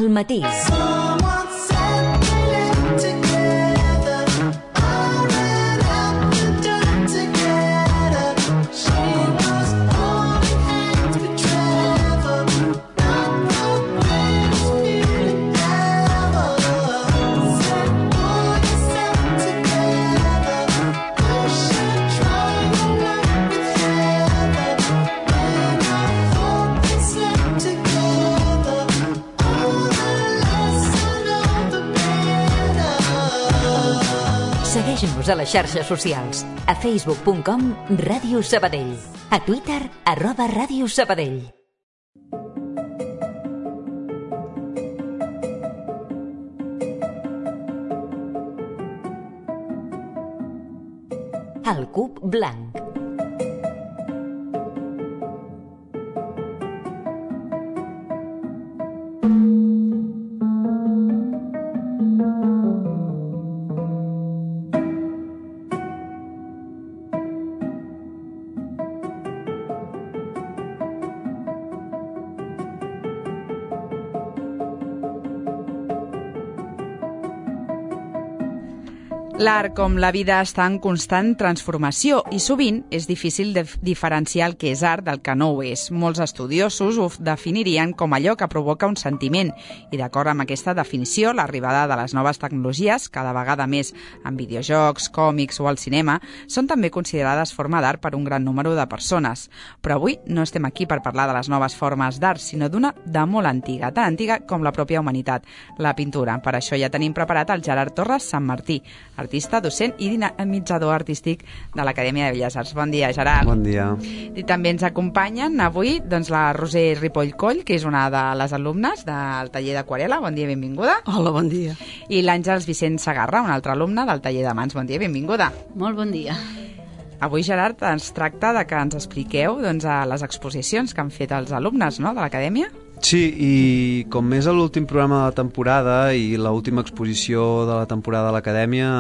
al matí. Segueix-nos a les xarxes socials. A facebook.com Ràdio Sabadell. A Twitter @Ràdio Sabadell. El cub blanc. L'art, com la vida, està en constant transformació i sovint és difícil de diferenciar el que és art del que no ho és. Molts estudiosos ho definirien com allò que provoca un sentiment i, d'acord amb aquesta definició, l'arribada de les noves tecnologies, cada vegada més en videojocs, còmics o al cinema, són també considerades forma d'art per un gran número de persones. Però avui no estem aquí per parlar de les noves formes d'art, sinó d'una de molt antiga, tan antiga com la pròpia humanitat, la pintura. Per això ja tenim preparat el Gerard Torres Sant Martí, artista, docent i dinamitzador artístic de l'Acadèmia de Belles Arts. Bon dia, Gerard. Bon dia. I també ens acompanyen avui la Roser Ripoll Coll, que és una de les alumnes del taller d'aquarel·la. Bon dia, benvinguda. Hola, bon dia. I l'Àngels Vicent Sagarra, una altra alumna del taller de mans. Bon dia, benvinguda. Molt bon dia. Avui, Gerard, ens tracta de que ens expliqueu a les exposicions que han fet els alumnes, no?, de l'Acadèmia. Sí, i com és l'últim programa de la temporada i l'última exposició de la temporada de l'Acadèmia,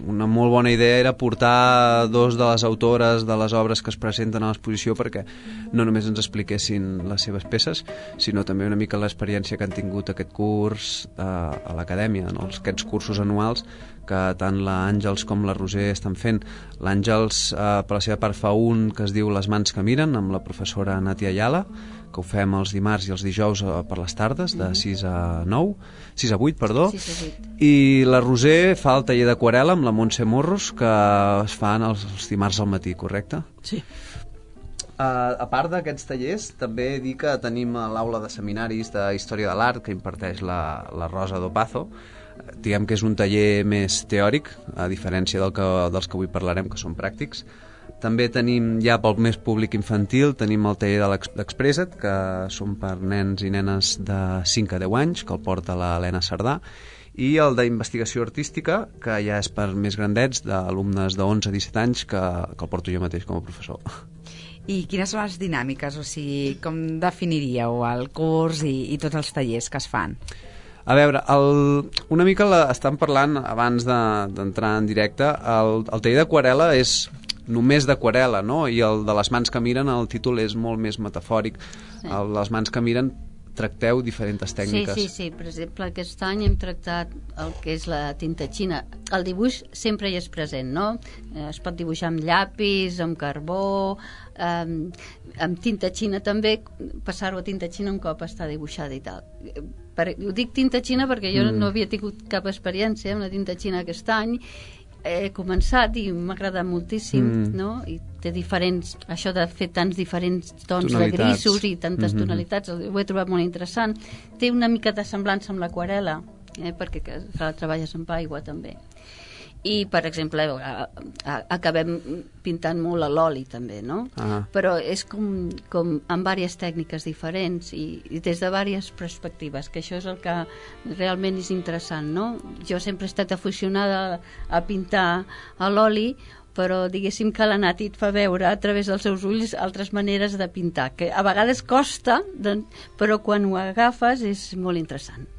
una molt bona idea era portar dos de les autores de les obres que es presenten a l'exposició perquè no només ens expliquessin les seves peces, sinó també una mica l'experiència que han tingut aquest curs a l'Acadèmia, no? Aquests cursos anuals que tant l'Àngels com la Roser estan fent. L'Àngels, per la seva part, fa un que es diu Les mans que miren, amb la professora Natia Ayala, que ho fem els dimarts i els dijous per les tardes, de 6 a 8, perdó. 6 a 8. I la Roser fa el taller d'aquarel·la amb la Montse Morros, que es fan els dimarts al matí, correcte? Sí. A part d'aquests tallers, també dir que tenim l'aula de seminaris de Història de l'Art que imparteix la Rosa Dopazo. Diguem que és un taller més teòric, a diferència dels que avui parlarem, que són pràctics. També tenim, ja pel més públic infantil, tenim el taller d'Expressa't, que són per nens i nenes de 5 a 10 anys, que el porta l'Helena Cerdà, i el d'investigació artística, que ja és per més grandets, d'alumnes de 11 a 17 anys, que el porto jo mateix com a professor. I quines són les dinàmiques? O sigui, com definiríeu el curs i tots els tallers que es fan? A veure, una mica estan parlant abans d'entrar en directe. El taller d'aquarel·la és només d'aquarel·la, no? I el de les mans que miren, el títol és molt més metafòric. Sí. Les mans que miren tracteu diferents tècniques. Sí. Per exemple, aquest any hem tractat el que és la tinta xina. El dibuix sempre hi és present, no? Es pot dibuixar amb llapis, amb carbó, amb tinta xina també, passar-ho a tinta xina un cop està dibuixada i tal. Ho dic tinta xina perquè jo no havia tingut cap experiència amb la tinta xina aquest any. He començat i m'ha agradat moltíssim, no? I té diferents, això de fer tants diferents tons de grisos i tantes tonalitats, ho he trobat molt interessant. Té una mica de semblança amb l'aquarel·la, perquè la treballes amb aigua també. I, per exemple, acabem pintant molt a l'oli també, no? Però és com amb diverses tècniques diferents i des de diverses perspectives, que això és el que realment és interessant, no? Jo sempre he estat aficionada a pintar a l'oli, però diguéssim que la Nati et fa veure a través dels seus ulls altres maneres de pintar, que a vegades costa, però quan ho agafes és molt interessant.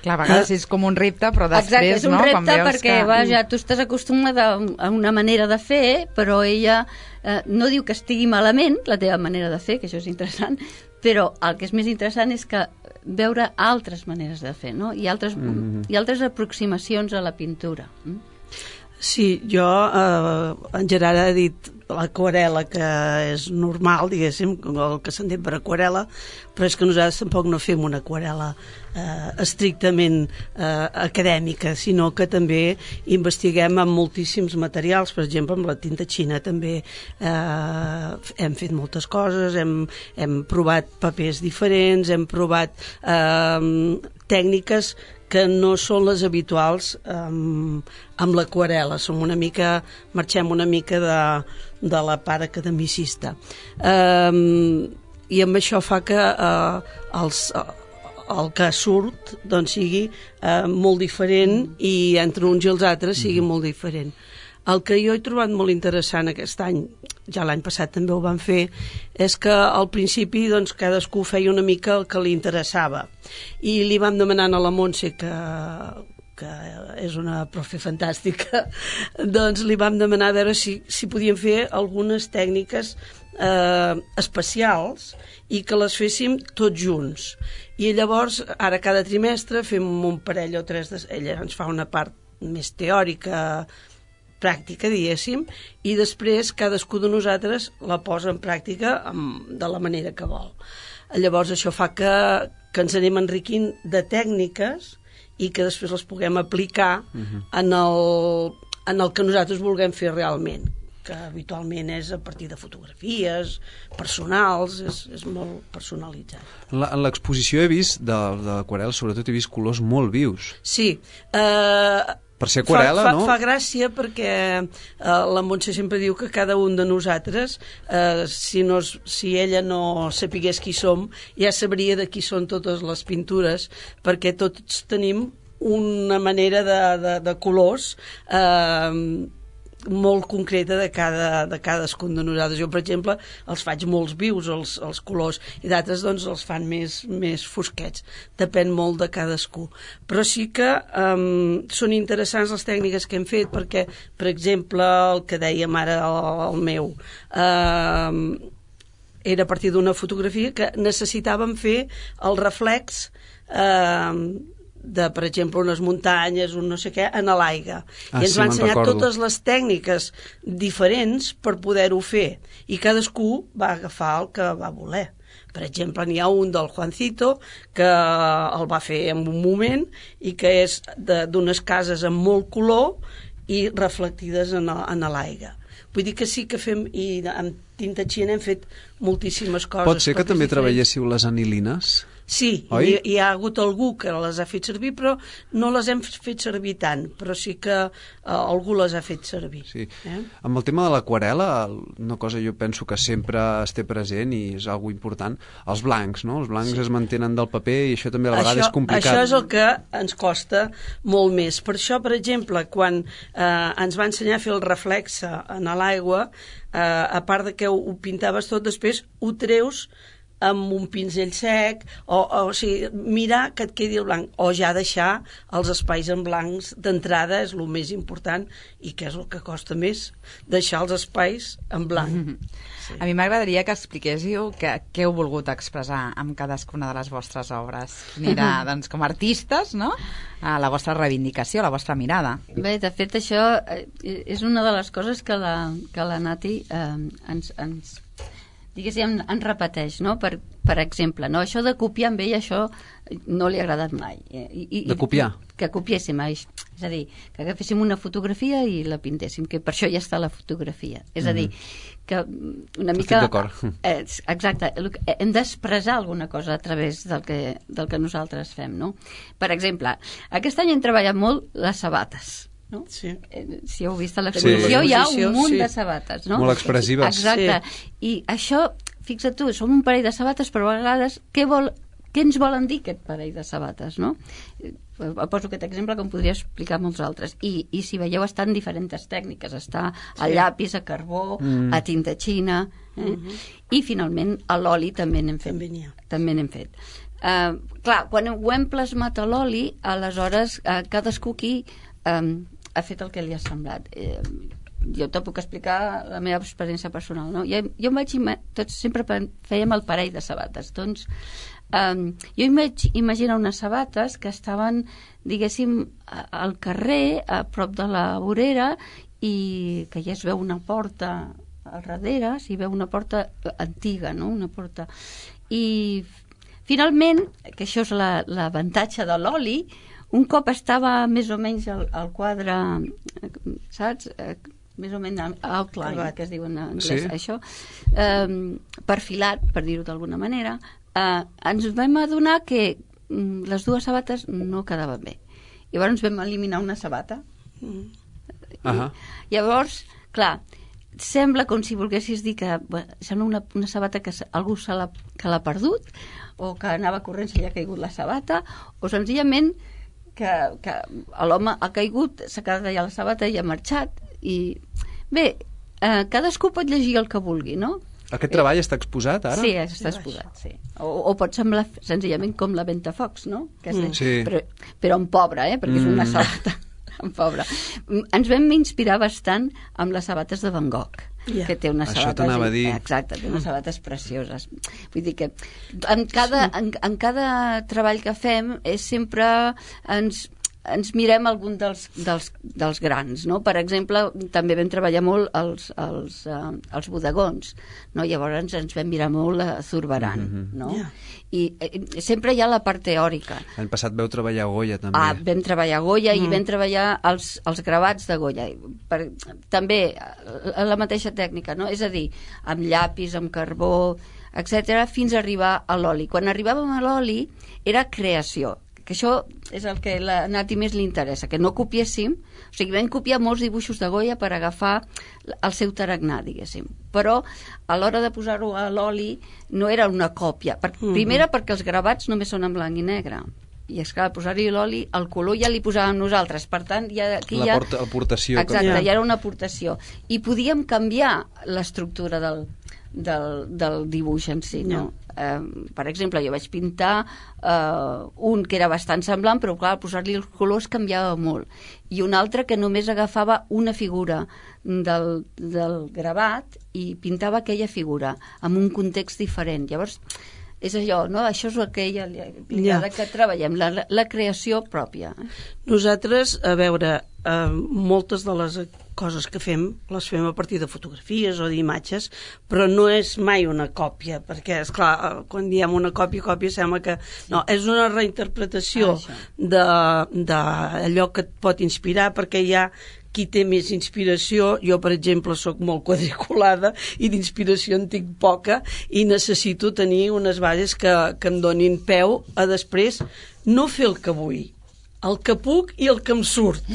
Clar, a vegades és com un repte, però després, exacte, és un repte no? perquè vaja, tu estàs acostumada a una manera de fer, però ella no diu que estigui malament la teva manera de fer, que això és interessant, Però el que és més interessant és que veure altres maneres de fer, no? I altres aproximacions a la pintura. Sí, jo, en Gerard ha dit l'aquarela, que és normal, diguéssim, el que s'entén per aquarela, però és que nosaltres tampoc no fem una aquarela estrictament acadèmica, sinó que també investiguem amb moltíssims materials. Per exemple, amb la tinta xina també hem fet moltes coses, hem provat papers diferents, hem provat tècniques que no són les habituals amb l'aquarela. Marxem una mica de la part academicista. I amb això fa que el que surt doncs, sigui molt diferent i entre uns i els altres sigui molt diferent. El que jo he trobat molt interessant aquest any, ja l'any passat també ho vam fer, és que al principi doncs, cadascú feia una mica el que li interessava. I li vam demanar a la Montse, que és una profe fantàstica, doncs li vam demanar a veure si podíem fer algunes tècniques especials i que les féssim tots junts. I llavors, ara cada trimestre fem un parell o tres, ella ens fa una part més teòrica, pràctica, diguéssim, i després cadascú de nosaltres la posa en pràctica de la manera que vol. Llavors això fa que ens anem enriquint de tècniques i que després les puguem aplicar en el que nosaltres vulguem fer realment, que habitualment és a partir de fotografies personals, és molt personalitzat. En l'exposició he vist de l'aquarel, sobretot he vist colors molt vius. Sí, per ser aquarela, no? Fa gràcia perquè la Montse sempre diu que cada un de nosaltres, si ella no sapigués qui som, ja sabria de qui són totes les pintures, perquè tots tenim una manera de colors molt concreta de cadascun de nosaltres. Jo, per exemple, els faig molts vius, els colors, i d'altres doncs els fan més fosquets. Depèn molt de cadascú. Però sí que són interessants les tècniques que hem fet, perquè, per exemple, el que dèiem ara, el meu, era a partir d'una fotografia que necessitàvem fer el reflex de, per exemple, unes muntanyes, un no sé què, en l'aigua. I ens va ensenyar totes les tècniques diferents per poder-ho fer. I cadascú va agafar el que va voler. Per exemple, n'hi ha un del Juancito que el va fer en un moment i que és d'unes cases amb molt color i reflectides en l'aigua. Vull dir que sí que fem, i amb tinta xina hem fet moltíssimes coses. Pot ser que també treballéssiu les anilines? Sí, hi ha hagut algú que les ha fet servir, però no les hem fet servir tant, però sí que algú les ha fet servir. Sí. Amb el tema de l'aquarela, una cosa jo penso que sempre es té present i és algo important, els blancs, no? Els blancs es mantenen del paper i això també a la vegada és complicat. Això és el que ens costa molt més. Per això, per exemple, quan ens va ensenyar a fer el reflexe en l'aigua, a part de que ho pintaves tot, després ho treus amb un pinzell sec, o sigui, mirar que et quedi el blanc, o ja deixar els espais en blancs d'entrada és el més important i que és el que costa més, deixar els espais en blanc. Sí. A mi m'agradaria que expliquéssiu què heu volgut expressar amb cadascuna de les vostres obres. Mira, doncs com a artistes, no? La vostra reivindicació, la vostra mirada. Bé, de fet, això és una de les coses que la Nati ens diguéssim, ens repeteix, no? Per exemple, no? Això de copiar amb ell, això no li ha agradat mai. De copiar? Que copiéssim, és a dir, que agaféssim una fotografia i la pintéssim, que per això ja està la fotografia. És a dir, que una mica... Estic d'acord. Exacte, hem d'expressar alguna cosa a través del que nosaltres fem, no? Per exemple, aquest any hem treballat molt les sabates, no? Sí. Si heu vist a l'exposició, hi ha un munt de sabates, no? Molt expressives. Exacte. Sí. I això, fixa't tu, som un parell de sabates, però a vegades què ens volen dir aquest parell de sabates, no? Poso aquest exemple que em podria explicar molts altres. I si veieu, estan diferents tècniques. Està a llapis, a carbó, a tinta xina, i finalment a l'oli també n'hem fet. També n'hem fet. Clar, quan ho hem plasmat a l'oli, aleshores cadascú aquí ha fet el que li ha semblat. jo te puc explicar la meva experiència personal, no? Jo em vaig tots sempre fèiem el parell de sabates, doncs jo em vaig imaginar unes sabates que estaven, diguéssim, al carrer, a prop de la vorera, i que ja es veu una porta al darrere, s'hi veu una porta antiga, no? Una porta. I finalment, que això és l'avantatge de l'oli, un cop estava més o menys al quadre, saps? Més o menys outline, que es diu en anglès, això, perfilat, per dir-ho d'alguna manera, ens vam adonar que les dues sabates no quedaven bé. Llavors vam eliminar una sabata. Llavors, clar, sembla com si volguessis dir que sembla una sabata que algú que l'ha perdut, o que anava corrent, se li ha caigut la sabata, o senzillament que l'home ha caigut, s'ha quedat allà la sabata i ha marxat. I bé, cadascú pot llegir el que vulgui, no? Aquest treball està exposat ara? Sí, està exposat, sí. O pot semblar senzillament com la Ventafocs, no? Sí. Però en pobre, perquè és una sabata en pobre. Ens vam inspirar bastant amb les sabates de Van Gogh, que té unes sabates... Això t'anava a dir. Exacte, té unes sabates precioses. Vull dir que en cada treball que fem sempre ens mirem algun dels grans, no? Per exemple, també vam treballar molt els bodegons, no? Llavors ens vam mirar molt a Zurbarán, no? I sempre hi ha la part teòrica. L'any passat vau treballar a Goya, també. Vam treballar a Goya i vam treballar els gravats de Goya. També la mateixa tècnica, no? És a dir, amb llapis, amb carbó, etc., fins a arribar a l'oli. Quan arribàvem a l'oli era creació, que això és el que a la Nati més li interessa, que no copiéssim, o sigui, vam copiar molts dibuixos de Goya per agafar el seu tarannà, diguéssim, però a l'hora de posar-ho a l'oli no era una còpia, primera perquè els gravats només són en blanc i negre, i és clar, posar-hi l'oli, el color ja li posàvem nosaltres, per tant, l'aportació. Exacte, ja era una aportació, i podíem canviar l'estructura del dibuix en si, no? Per exemple, jo vaig pintar un que era bastant semblant, però clar, posar-li els colors canviava molt, i un altre que només agafava una figura del gravat i pintava aquella figura amb un context diferent. Llavors és allò, no? Això és el que ella li agrada que treballem, la creació pròpia. Nosaltres, a veure, moltes de les coses que fem les fem a partir de fotografies o d'imatges, però no és mai una còpia, perquè, esclar, quan diem una còpia sembla que... No, és una reinterpretació d'allò que et pot inspirar, perquè hi ha qui té més inspiració. Jo, per exemple, sóc molt quadriculada i d'inspiració en tinc poca i necessito tenir unes bases que em donin peu a després no fer el que vull, el que puc i el que em surt,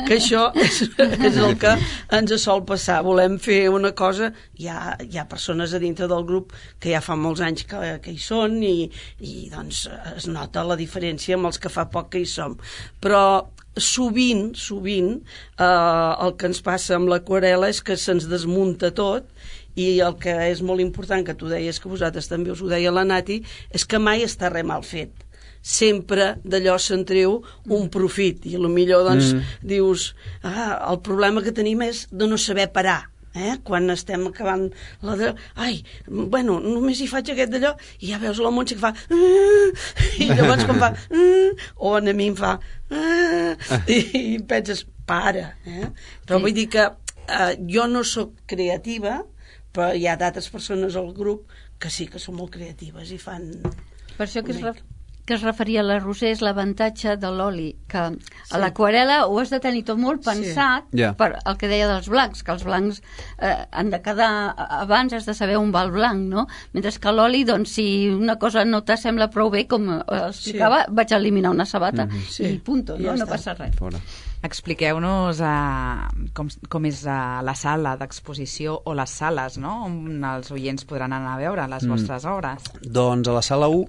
que això és el que ens sol passar. Volem fer una cosa, hi ha persones a dintre del grup que ja fa molts anys que hi són i doncs es nota la diferència amb els que fa poc que hi som, però sovint el que ens passa amb l'aquarel·la és que se'ns desmunta tot, i el que és molt important, que tu deies, que vosaltres també us ho deia la Nati, és que mai està res mal fet. Sempre d'allò se'n treu un profit, i potser doncs dius, el problema que tenim és de no saber parar. Quan estem acabant només hi faig aquest d'allò, i ja veus la Montse que fa i llavors quan fa o a mi em fa i penses, para, però vull dir que jo no sóc creativa, però hi ha d'altres persones al grup que sí que són molt creatives i fan... Per això que es referia a la Roser és l'avantatge de l'oli, que a l'aquarel·la ho has de tenir tot molt pensat per el que deia dels blancs, que els blancs han de quedar, abans has de saber on va el blanc, no? Mentre que l'oli, doncs, si una cosa no t'assembla prou bé, com explicava, vaig eliminar una sabata i punto, no passa res. Expliqueu-nos com és la sala d'exposició o les sales, no?, on els oients podran anar a veure les vostres obres. Doncs a la sala 1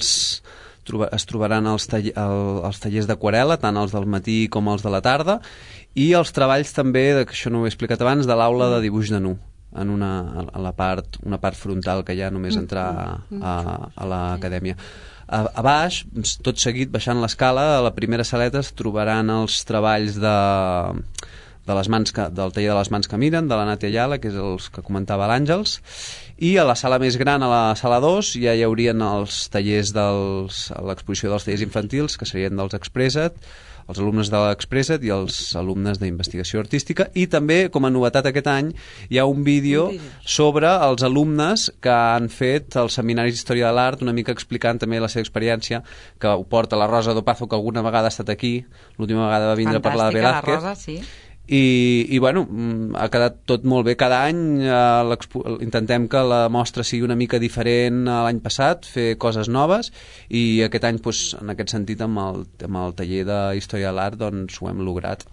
es trobaran els tallers d'aquarel·la, tant els del matí com els de la tarda, i els treballs també, que això no ho he explicat abans, de l'aula de dibuix de nu, en una part frontal que hi ha només entrar a l'acadèmia. A baix, tot seguit, baixant l'escala, a la primera saleta es trobaran els treballs del taller de les mans que miren, de la Nàtia Ayala, que és els que comentava l'Àngels, i a la sala més gran, a la sala 2, ja hi haurien els tallers l'exposició dels tallers infantils, que serien dels Expressa't, els alumnes de l'Expressa't i els alumnes d'investigació artística, i també, com a novetat aquest any, hi ha un vídeo sobre els alumnes que han fet els seminaris d'Història de l'Art, una mica explicant també la seva experiència, que ho porta la Rosa Dopazo, que alguna vegada ha estat aquí, l'última vegada va vindre a parlar de Velázquez. Fantàstica, la Rosa, sí. I bueno, ha quedat tot molt bé. Cada any intentem que la mostra sigui una mica diferent a l'any passat, fer coses noves, i aquest any, en aquest sentit, amb el taller d'Història de l'Art, doncs ho hem lograt.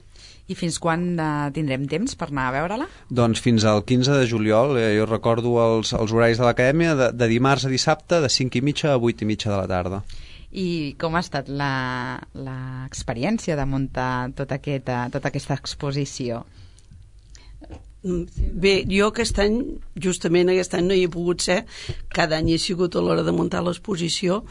I fins quan tindrem temps per anar a veure-la? Doncs fins al 15 de juliol. Jo recordo els horaris de l'acadèmia, de dimarts a dissabte, de 5:30 a 8:30 de la tarda. I com ha estat l'experiència de muntar tota aquesta exposició? Bé, jo justament aquest any no hi he pogut ser, cada any he sigut a l'hora de muntar l'exposició,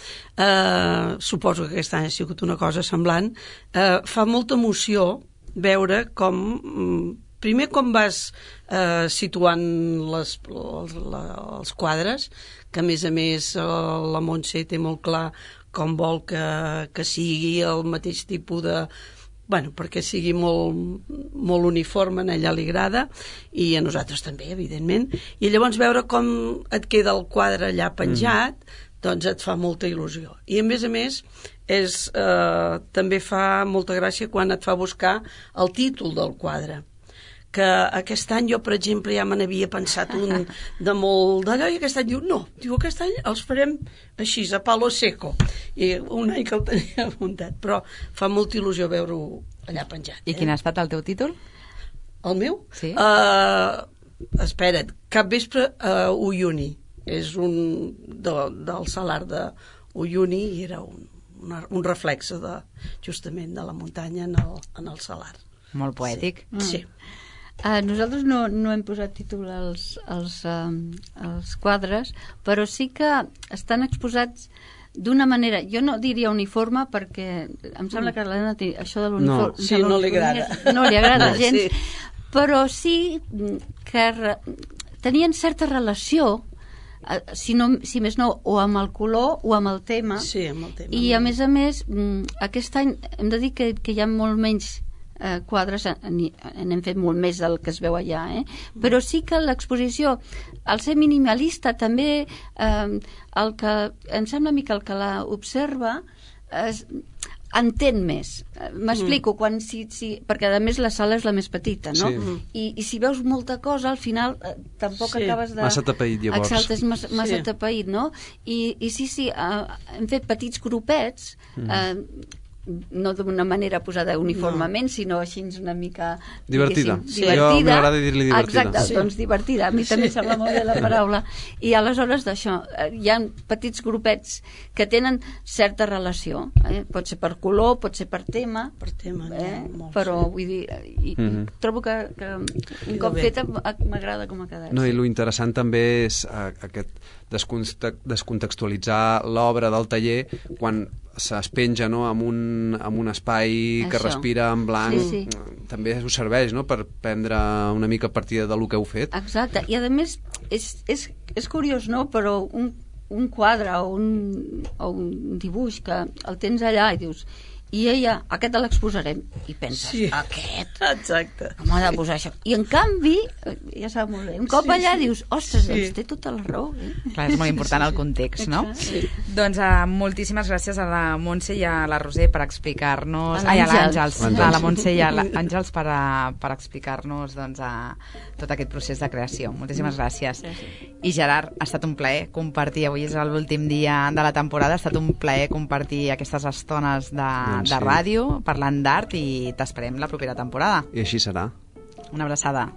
suposo que aquest any ha sigut una cosa semblant. Fa molta emoció veure primer com vas situant els quadres, que a més la Montse té molt clar com vol que sigui el mateix tipus de... perquè sigui molt uniforme, a ella li agrada, i a nosaltres també, evidentment. I llavors veure com et queda el quadre allà penjat, doncs et fa molta il·lusió. I a més, també fa molta gràcia quan et fa buscar el títol del quadre, que aquest any jo, per exemple, ja me n'havia pensat un de molt d'allò, i aquest any diu aquest any els farem així, a palo seco, i un any que el tenia apuntat, però fa molta il·lusió veure-ho allà penjat. I quin ha estat el teu títol? El meu? Sí. Espera't, Capvespre a Uyuni, és un del salar de Uyuni, i era un reflexe justament de la muntanya en el salar. Molt poètic. Sí. Nosaltres no hem posat títol als quadres, però sí que estan exposats d'una manera, jo no diria uniforme, perquè em sembla que a l'Helena això de l'uniforme no li agrada. No li agrada gens, però sí que tenien certa relació, si més no, o amb el color o amb el tema. Sí, amb el tema. I a més, aquest any hem de dir que hi ha molt menys quadres, n'hem fet molt més del que es veu allà, però sí que l'exposició, al ser minimalista, també el que em sembla a mi que el que l'observa entén més. M'explico, perquè a més la sala és la més petita, no? I si veus molta cosa, al final tampoc acabes de... Massa tapeït, llavors. Exacte, és massa tapeït, no? I sí, hem fet petits grupets, no d'una manera posada uniformement, sinó així una mica... Divertida. Divertida. Jo m'agrada dir-li divertida. Exacte, doncs divertida. A mi també sembla molt bé la paraula. I aleshores d'això, hi ha petits grupets que tenen certa relació. Pot ser per color, pot ser per tema. Per tema, però vull dir... Trobo que un cop feta m'agrada com ha quedat. No, i lo interessant també és aquest descontextualitzar l'obra del taller quan es penja, no, en un espai que respira en blanc. També us serveix, no, per prendre una mica partida del que heu fet. Exacte, i a més és curiós, no, però un quadre o un dibuix que el tens allà i dius, i ella, aquest l'exposarem, i penses, aquest? Exacte. Com ha de posar això? I en canvi, ja sap molt bé, un cop allà dius, ostres, doncs té tota la raó. Clar, és molt important el context, no? Sí. Doncs moltíssimes gràcies a la Montse i a la Roser per explicar-nos... a l'Àngels. A la Montse i a l'Àngels per explicar-nos tot aquest procés de creació. Moltíssimes gràcies. I Gerard, ha estat un plaer compartir, avui és l'últim dia de la temporada, ha estat un plaer compartir aquestes estones de ràdio, parlant d'art, i t'esperem la propera temporada. I així serà. Una abraçada.